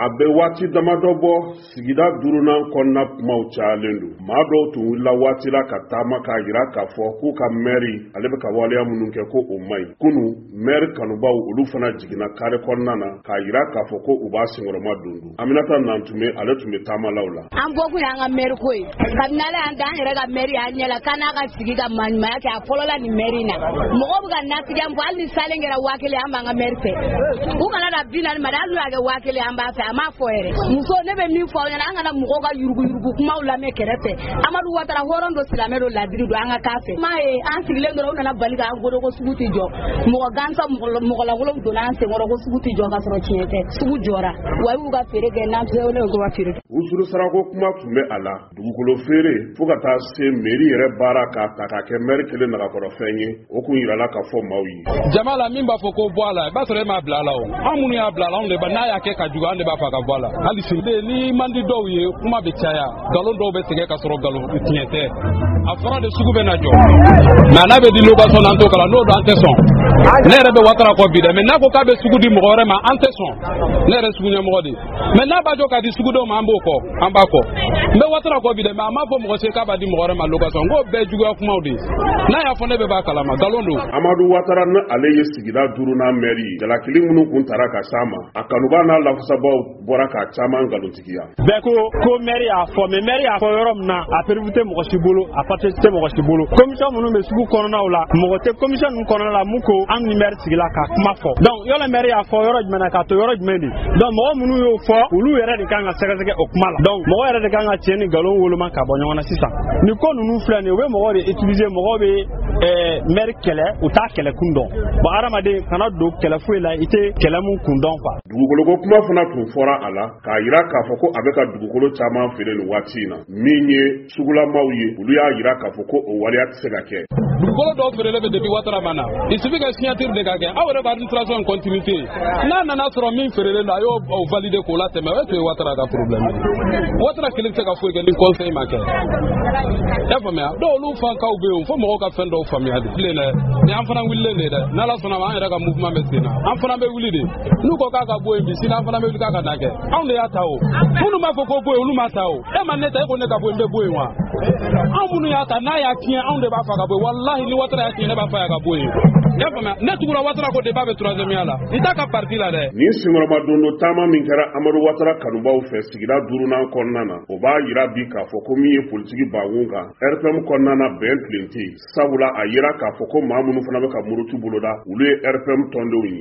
A bɛ waati damadɔ bɔ, sigida duurunan kɔnɔna kumaw cayalen don. Maa dɔw tun wulila waati la ka taama k'a jira k'a fɔ k'u ka mɛri ale bɛ ka waleya minnu kɛ, ko o man ɲi. Kunu, mɛri kanubaw olu fana jiginna kare kɔnɔna na k'a jira k'a fɔ ko u b'a senkɔrɔma don don. Aminata Nantume, ale tun bɛ taamalaw la. An bɔkun y'an ka mɛri ko ye. Kabini Ala y'an da, an yɛrɛ ka mɛri y'an ɲɛ la k'an n'a ka sigi ka maɲumanya kɛ. A fɔlɔla nin mɛri in na, mɔgɔw bɛ ka nasigiya min fɔ, hali ni salen kɛra 1000, an b'an ka mɛri fɛ. U kana na 40 ma dɛ, hali n'u y'a kɛ 1000, an b'a fɛ. A m'a fɔ yɛrɛ. Muso, ne bɛ min fɔ aw ɲɛna, an kana mɔgɔw ka yuruguyurugu kumaw lamɛn kɛrɛfɛ. Amadu Watara, hɔrɔn don, silamɛ don, ladiri don, an ka k'a fɛ. M'a ye an sigilen dɔrɔn, u nana bali k'an godo ko sugu tɛ jɔ. Mɔgɔ gansan, mɔgɔ lankolon donna an senkɔrɔ ko sugu tɛ jɔ, ka sɔrɔ tiɲɛ tɛ. Sugu jɔra wa, y'u ka feere kɛ, n'an tɛ ne ko ka feere kɛ. Wusuru sarako kuma tun bɛ a la, dugukolo feere, fo ka taa se mairie yɛrɛ baara k'a ta k'a kɛ maire kelen nagakɔrɔfɛn ye, o kun yirala ka fɔ maaw ye. Jama la, min b'a fɔ ko bɔ a la, i b'a sɔrɔ e m'a bila a la. O an minnu y'a bila a la, anw de ba n'a y'a kɛ ka jugu, an de b'a fɔ a ka bɔ a la. Hali sini ni man di dɔw ye, kuma bɛ caya, nkalon dɔw bɛ tigɛ ka sɔrɔ nkalon tiɲɛ tɛ. A fɔra de sugu bɛ na jɔ, mais n'a bɛ di location na, an t'o kala. N'o don, an tɛ sɔn. Ne yɛrɛ bɛ Watara kɔ bi dɛ, mais n'a ko k'a bɛ sugu di mɔgɔ wɛrɛ ma, an tɛ sɔn. Ne yɛrɛ sugu ɲɛmɔgɔ de, mais n'a b'a jɔ k'a di sugudenw ma, an b'o kɔ, an b'a kɔ. N bɛ Watara kɔ bi dɛ, mais a m'a fɔ mɔgɔ si k'a b'a di mɔgɔ wɛrɛ ma location. N k'o bɛɛ juguya kumaw de ye. N'a y'a fɔ, ne bɛ b'a kalama, nkalon don. Amadu Watara, ni ale ye sigida duurunan mɛri ye, jalakili minnu kun tara ka s'a ma, a kanuba n'a lafasabaw bɔra k'a caman nkalontigiya. Bɛɛ ko ko mɛri y'a fɔ, mais mɛri y'a fɔ yɔrɔ min na, a preuve tɛ mɔgɔ si bolo, a papier tɛ mɔgɔ si bolo. Commission minnu bɛ sugu kɔnɔnaw la, mɔgɔ tɛ commission ninnu kɔnɔna la mun ko an ni mɛri sigila ka kuma fɔ. Donc yɔrɔ mɛri y'a fɔ yɔrɔ jumɛn na, k'a to yɔrɔ jumɛn de? Donc mɔgɔ minnu y'o fɔ, olu yɛrɛ de kan ka sɛgɛsɛgɛ o kuma la. Donc mɔgɔ yɛrɛ de kan ka tiɲɛ ni nkalon woloma ka bɔ ɲɔgɔn na. Sisan nin ko ninnu filɛ nin ye, u bɛ mɔgɔw de utiliser. Mɔgɔw bɛ mɛri kɛlɛ, u t'a kɛlɛ kun dɔn. Bon, hadamaden kana don kɛlɛ foyi la i tɛ kɛlɛ mun kun dɔn quoi. Dugukoloko kuma fana tun fɔra a la k'a yira k'a fɔ ko a bɛ ka dugukolo caman feere nin waati in na. Min ye sugulamaw ye, olu y'a yira k'a fɔ ko o waleya tɛ se ka kɛ. Dugukolo dɔw feerelen bɛ depuis Watara ma na. Il suffit que signature de ka kɛ. Aw yɛrɛ bɛ administration continuité, n'a nana sɔrɔ min feerelen don, a y'o valider k'o latɛmɛ. O tun ye Watara ka problème ye. Watara kelen tɛ se ka foyi kɛ ni conseil ma kɛ, i y'a faamuya? Dɔw olu fankaw bɛ yen fo mɔgɔw ka fɛn dɔw faamuya de bilen dɛ. Ni an fana wulilen de dɛ, n'Ala sɔnna ma, an yɛrɛ ka mouvement bɛ sen na, an fana bɛ wuli de. N'u ko k'a ka bɔ yen bi, sini an fana bɛ wuli k'a ka na kɛ. Anw de y'a ta o. Minnu b'a fɔ ko bɔ yen, olu ma ta o. E ma ne ta, e ko ne ka bɔ yen, n bɛ bɔ yen wa? Anw minnu y'a ta, n'a y'a tiɲɛ, anw de b'a fɔ a ka bɔ yen. Walahi, ni Watara y'a tiɲɛ, ne b'a fɔ a ka bɔ yen, i y'a faamuya? Ne tugura Watara ko débat bɛ troisième ya la, n t'a ka parti la dɛ. Nin senkɔrɔmadondo taama min kɛra Amadu Watara kanubaw fɛ sigida duurunan kɔnɔna na, o b'a yira bi k'a fɔ ko min ye politiki bankun kan, RPM kɔnɔna na, bɛn tilen tɛ yen, sabula a yira k'a fɔ ko maa minnu fana bɛ ka muruti boloda, olu ye RPM tɔndenw ye.